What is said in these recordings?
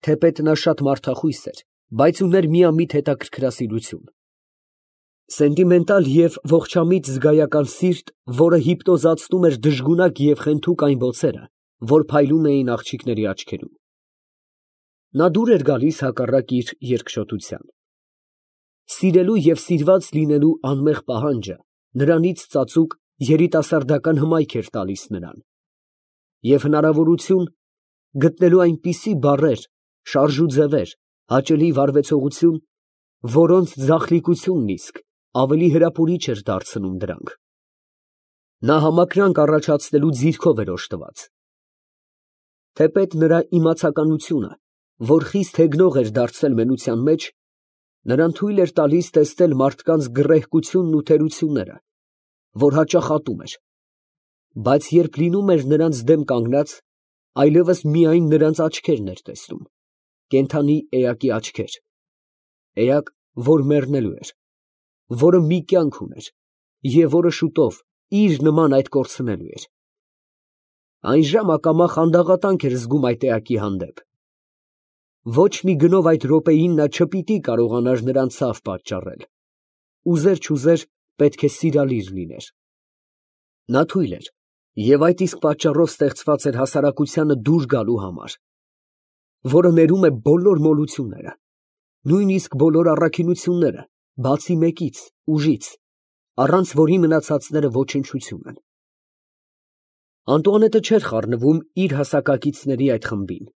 Թեպետ նա շատ մարդախույս էր, բայց ուներ միամիտ հետաքրքրասիրություն։ Սենտիմենտալ և ողջամիտ զգայական սիրտ, որը հիպնոզացնում էր դժգունակ և խենթուկ այն բոցերը, որ փայլում էին աղջիկների աչքերում։ Նա դուր էր գալիս հակառակ իր երկշոտության։ Սիրելու և սիրված լինելու անմեղ պահանջը նրանից ծածուկ երիտասարդական հմայք էր տալիս նրան, և հնարավորություն գտնելու այնպիսի բառեր, շարժուձևեր, հաճելի վարվեցողություն, որոնց ձախլիկությունն իսկ ավելի հրապուրիչ էր դարձնում դրանք։ Նա համակրանք առաջացնելու ձիրքով էր օժտված։ Թեպետ նրա իմացականությունը, որ խիստ հեգնող էր դարձել մենության մեջ, նրան թույլ էր տալիս տեսնել մարդկանց գռեհկությունն ու թերությունները, որ հաճախ ատում էր, բայց երբ լինում էր նրանց դեմ կանգնած, այլևս միայն նրանց աչքերն էր տեսնում, կենդանի էակի աչքեր, էակ, որ մեռնելու էր, որը մի կյանք ուներ և որը շուտով իր նման այդ կորցնելու էր։ Այն ժամ ակամա խանդաղատանք էր զգում այդ էակի հանդեպ։ Ոչ մի գնով այդ րոպեին նա չպիտի կարողանար նրան ցավ պատճառել, ուզեր չուզեր պետք է սիրալիր լիներ։ Նա թույլ էր և այդ իսկ պատճառով ստեղծված էր հասարակությանը դուր գալու համար, որը ներում է բոլոր մոլությունները, նույնիսկ բոլոր առաքինությունները, բացի մեկից, ուժից, առանց որի մնացածները ոչնչություն են։ Անտուանետը չէր խառնվում իր հասակակիցների այդ խմբին։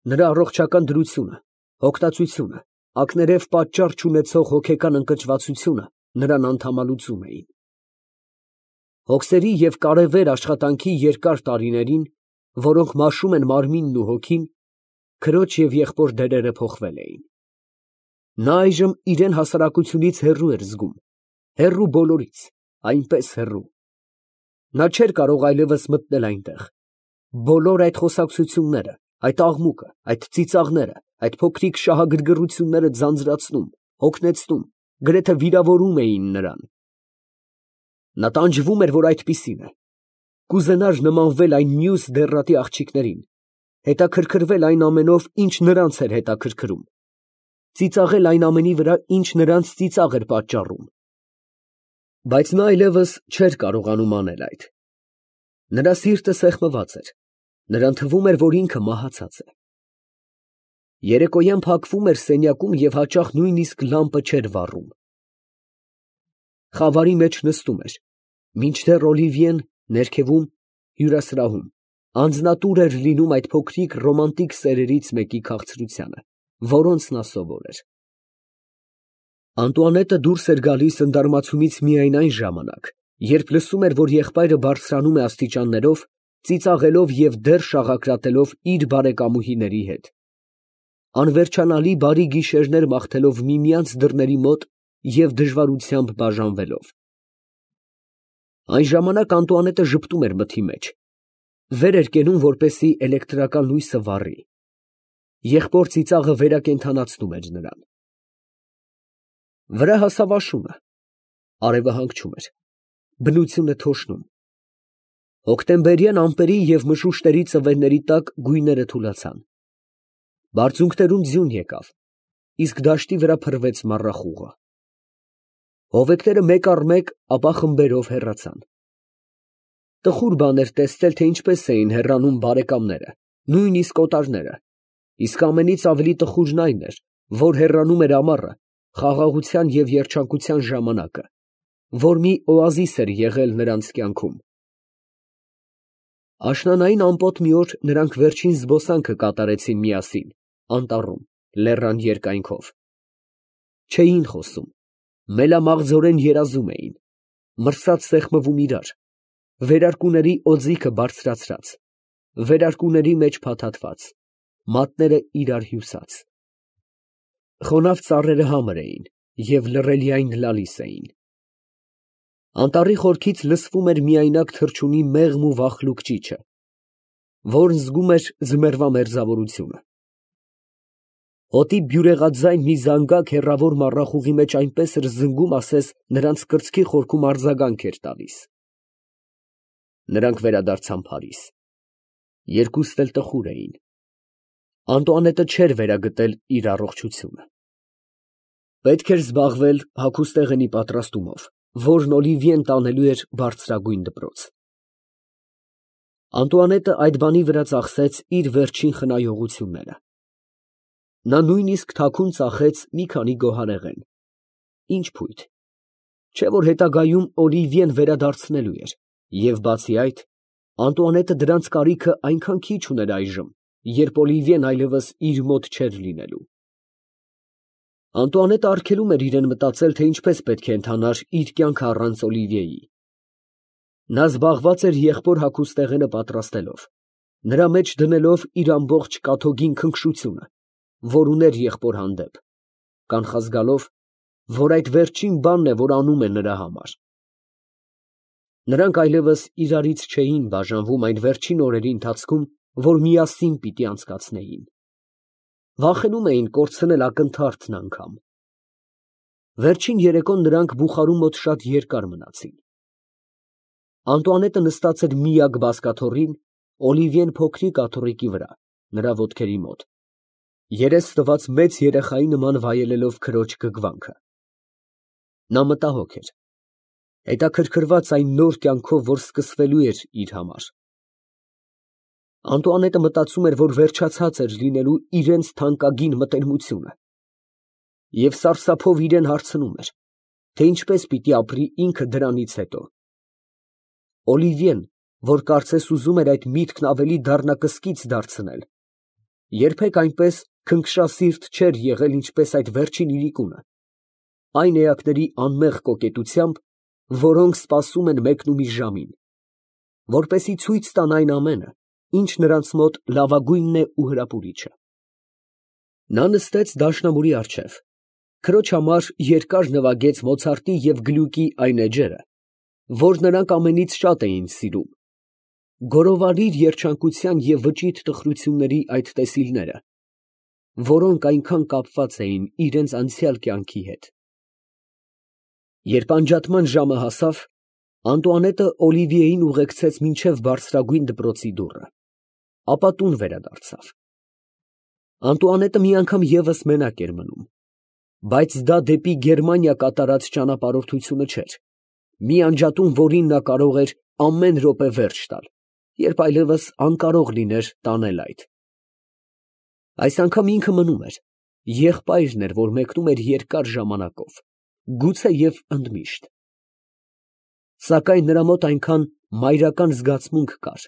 Նրա առողջական դրությունը, հոգտածությունը, ակներև պատճառ չունեցող հոգեկան ընկճվածությունը նրան անդամալուծում էին։ Հոգսերի և կարևեր աշխատանքի երկար տարիներին, որոնք մաշում են մարմինն ու հոգին, քրոջ և եղբոր դերերը փոխվել էին։ Նա այժմ իրան հասարակությունից հեռու էր զգում, հեռու բոլորից, այնպես հեռու։ Նա չէր կարող այլևս մտնել այնտեղ։ Բոլոր այդ խոսակցությունները, այդ աղմուկը, այդ ծիծաղները, այդ փոքրիկ շահագրգռությունները ձանձրացնում, հոգնեցնում, գրեթե վիրավորում էին նրան։ Նա տանջվում էր, որ այդպիսին է, կուզենար նմանվել այն մյուս դեռատի աղջիկներին, հետաքրքրվել այն ամենով, ինչ նրանց էր հետաքրքրում, ծիծաղել այն ամենի վրա, ինչ նրանց ծիծաղ էր պատճառում։ Բայց նա այլևս չէր կարողանում անել այդ։ Նրա սիրտը սեղմված էր, նրան թվում էր, որ ինքը մահացած է։ Երեկոյան փակվում էր սենյակում և հաճախ նույնիսկ լամպը չէր վառում։ Խավարի մեջ նստում էր, մինչդեռ Օլիվիեն ներքևում, հյուրասրահում, անձնատուր էր լինում այդ փոքրիկ ռոմանտիկ սերերից մեկի քաղցրությանը, որոնց նա սովոր էր։ Անտուանետը դուրս էր գալիս ընդարմացումից միայն այն ժամանակ, երբ լսում էր, որ եղբայրը բարձրանում է աստիճաններով, ծիծաղելով և դեռ շաղակրատելով իր բարեկամուհիների հետ, անվերջանալի բարի գիշերներ մաղթելով միմյանց դռների մոտ և դժվարությամբ բաժանվելով։ Այն ժամանակ Անտուանետը ժպտում էր մթի մեջ, վեր էր կենում, որպեսզի էլեկտրական լույսը վառի։ Եղբոր ծիծաղը վերակենդանացնում էր նրան։ Վրա հասավ աշունը, արևը հանգչում էր, բնությունը թոշնում։ Հոկտեմբերյան ամպերի և մշուշտերի ծվերների տակ գույները թուլացան։ Բարձունքներում ձյուն եկավ, իսկ դաշտի վրա փռվեց մառախուղը։ Հովեկները մեկ առ մեկ, ապա խմբերով հեռացան։ Տխուր բան էր տեսնել, թե ինչպես էին հեռանում բարեկամները, նույնիսկ օտարները, իսկ ամենից ավելի տխուրն այն էր, որ հեռանում էր ամառը, խաղաղության և երջանկության ժամանակը, որ մի օազիս էր եղել նրանց կյանքում։ Աշնանային ամպոտ մի օր նրանք վերջին զբոսանքը կատարեցին միասին, անտառում, լեռան երկայնքով։ Չէին խոսում, մելամաղձորեն երազում էին, մրսած սեղմվում իրար, վերարկուների օձիքը բարձրացրած, վերարկուների մեջ փաթաթված, մատները իրար հյուսած։ Խոնավ ծառերը համր էին և լռելիայն լալիս էին։ Անտառի խորքից լսվում էր միայնակ թռչունի մեղմ ու վախլուկ ճիչը, որն զգում էր ձմեռվա մերձավորությունը։ Հոտի բյուրեղաձայն մի զանգակ հեռավոր մառախուղի մեջ այնպես էր զնգում, ասես նրանց կրծքի խորքում արձագանք էր տալիս։ Նրանք վերադարձան Փարիզ։ Երկուստ էլ տխուր էին։ Անտուանետը չէր վերագտել իր առողջությունը։ Պետք էր զբաղվել հագուստեղենի պատրաստումով, որն Օլիվիեն տանելու էր բարձրագույն դպրոց։ Անտուանետը այդ բանի վրա ծախսեց իր վերջին խնայողությունները։ Նա նույնիսկ թաքուն ծախեց մի քանի գոհարեղեն։ Ինչ փույթ, չէ՞ որ հետագայում Օլիվիեն վերադարձնելու էր, և բացի այդ, Անտուանետը դրանց կարիքը այնքան քիչ ուներ այժմ, երբ Օլիվիեն այլևս իր մոտ չէր լինելու։ Անտուանետը արգելում էր իրեն մտածել, թե ինչպես պետք է ընթանար իր կյանքը առանց Օլիվիեի։ Նա զբաղված էր եղբոր հագուստեղենը պատրաստելով, նրա մեջ դնելով իր ամբողջ կաթոգին քնքշությունը, որ ուներ եղբոր հանդեպ, կանխազգալով, որ այդ վերջին բանն է, որ անում է նրա համար։ Նրանք այլևս իրարից չէին բաժանվում այն վերջին օրերի ընթացքում, որ միասին պիտի անցկացնեին։ Վախենում էին կորցնել ակնթարթն անգամ։ Վերջին երեկոն նրանք բուխարու մոտ շատ երկար մնացին։ Անտուանետը նստած էր միակ բազկաթոռին, Օլիվիեն փոքրիկ աթոռիկի վրա, նրա ոտքերի մոտ, երես տված մեծ երեխայի նման վայելելով քրոջ գգվանքը։ Նա մտահոգ էր, հետաքրքրված այն նոր կյանքով, որ սկսվելու էր իր համար։ Անտուանետը մտածում էր, որ վերջացած էր լինելու իրենց թանկագին մտերմությունը, և սարսափով իրեն հարցնում էր, թե ինչպես պիտի ապրի ինքը դրանից հետո։ Օլիվիեն, որ կարծես ուզում էր այդ միտքն ավելի դառնակսկից դարձնել, երբեք այնպես քնքշասիրտ չէր եղել, ինչպես այդ վերջին իրիկունը, այն էակների անմեղ կոկետությամբ, որոնք սպասում են մեկնումի ժամին, որպեսզի ցույց տան այն ամենը, ինչ նրանց մոտ լավագույնն է ու հրապուրիչը։ Նա նստեց դաշնամուրի առջև, քրոջ համար երկար նվագեց Մոցարտի և Գլյուկի այն էջերը, որ նրանք ամենից շատ էին սիրում, գորովարիր երջանկության և վճիտ տխրությունների այդ տեսիլները, որոնք այնքան կապված էին իրենց անցյալ կյանքի հետ։ Երբ անջատման ժամը հասավ, Անտուանետը Օլիվիեին ուղեկցեց մինչև բարձրագույն դպրոցի դուռը, ապա տուն վերադարձավ։ Անտուանետը մի անգամ ևս մենակ էր մնում, բայց դա դեպի Գերմանիա կատարած ճանապարհորդությունը չէր, մի անջատում, որին նա կարող էր ամեն րոպե վերջ տալ, երբ այլևս անկարող լիներ տանել այդ։ Այս անգամ ինքը մնում էր, եղբայրն էր, որ մեկնում էր երկար ժամանակով, գուցե և ընդմիշտ։ Սակայն նրա մոտ այնքան մայրական զգացմունք կար,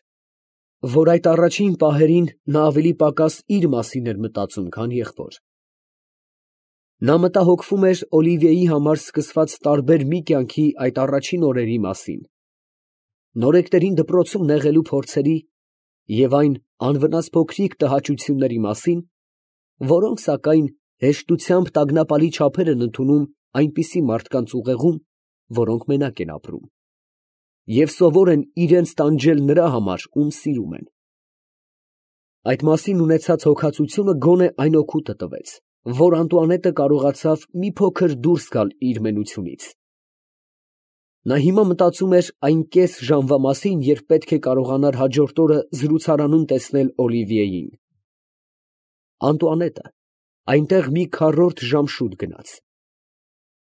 որ այդ առաջին պահերին նա ավելի պակաս իր մասին էր մտածում, քան եղբոր։ Նա մտահոգվում էր Օլիվիեի համար սկսված տարբեր մի կյանքի այդ առաջին օրերի մասին, նորեկներին դպրոցում նեղելու փորձերի և այն անվնաս փոքրիկ տհաճությունների մասին, որոնք, սակայն, հեշտությամբ տագնապալի չափեր են ընդունում այնպիսի մարդկանց ուղեղում, որոնք մենակ են ապրում, և սովոր են իրենց տանջել նրա համար, ում սիրում են։ Այդ մասին ունեցած հոգածությունը գոնե այն օգուտը տվեց, որ Անտուանետը կարողացավ մի փոքր դուրս գալ իր մենությունից։ Նա հիմա մտածում էր այն կես ժամվա մասին, երբ պետք է կարողանար հաջորդ օրը զրուցարանում տեսնել Օլիվիեին։ Անտուանետը այնտեղ մի քառորդ ժամ շուտ գնաց։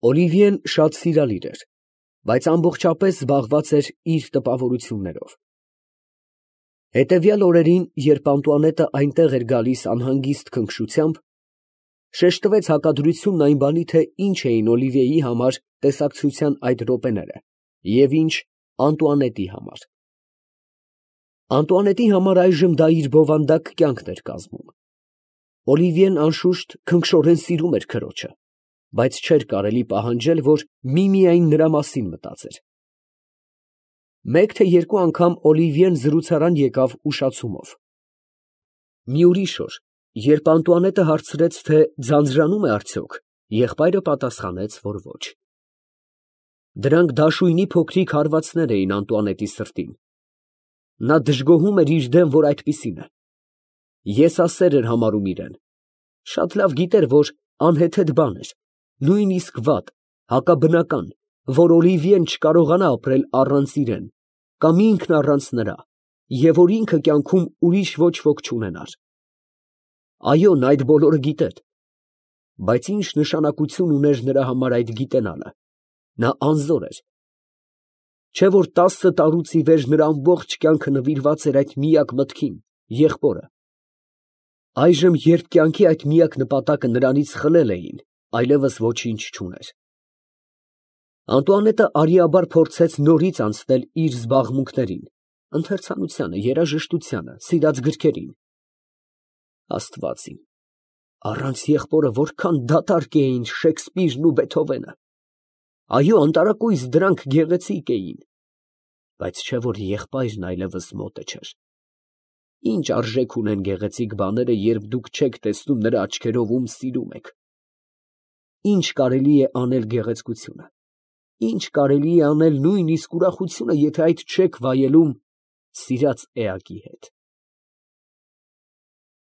Օլիվիեն շատ սիրալիր էր, բայց ամբողջապես զբաղված էր իր տպավորություններով։ Հետևյալ օրերին, երբ Անտուանետը այնտեղ էր գալիս անհանգիստ քնքշությամբ, շեշտվեց հակադրությունն այն բանի, թե ինչ էին Օլիվիեի համար տեսակցության այդ րոպեները և ինչ Անտուանետի համար։ Անտուանետի համար այժմ դա իր բովանդակ կյանքն էր կազմում։ Օլիվիեն անշուշտ քնքշորեն սիրում էր քրոջը, բայց չէր կարելի պահանջել, որ միմիայն նրա մասին մտածեր։ Մեկ թե երկու անգամ Օլիվիեն զրուցարան եկավ ուշացումով։ Մի ուրիշ օր, երբ Անտուանետը հարցրեց, թե ձանձրանում է արդյոք, եղբայրը պատասխանեց, որ ոչ։ Դրանք դաշույնի փոքրիկ հարվածներ էին Անտուանետի սրտին։ Նա դժգոհում էր իր դեմ, որ այդպիսին է։ Եսասեր էր համարում իրեն։ Շատ լավ գիտեր, որ անհեթեթ բան էր, նույնիսկ վատ, հակաբնական, որ Օլիվիեն չկարողանա ապրել առանց իրեն, կամ ինքն առանց նրա, և որ ինքը կյանքում ուրիշ ոչ ոք չունենար։ Այո, նա այդ բոլորը գիտեր, բայց ինչ նշանակություն ուներ նրա համար այդ գիտենալը. նա անզոր էր, չէ՞ որ 10 տարուց ի վեր նրա ամբողջ կյանքը նվիրված էր այդ միակ մտքին, եղբորը. այժմ, երբ կյանքի այդ միակ նպատակը նրանից խլել էին, այլևս ոչինչ չուներ։ Անտուանետը արիաբար փորձեց նորից անցնել իր զբաղմունքներին, ընթերցանությանը, երաժշտությանը, սիրած գրքերին։ Աստված իմ, առանց եղբորը որքան դատարկ էին Շեքսպիրն ու Բեթհովենը։ Այո, անտարակույս դրանք գեղեցիկ էին, բայց չէ որ եղբայրն այլևս մոտը չէր։ Ինչ արժեք ունեն գեղեցիկ բաները, երբ դուք չեք տեսնում նրա աչքերով, ում սիրում եք։ Ինչ կարելի է անել գեղեցկությունը, ինչ կարելի է անել նույնիսկ ուրախությունը, եթե այդ չեք վայելում սիրած էակի հետ։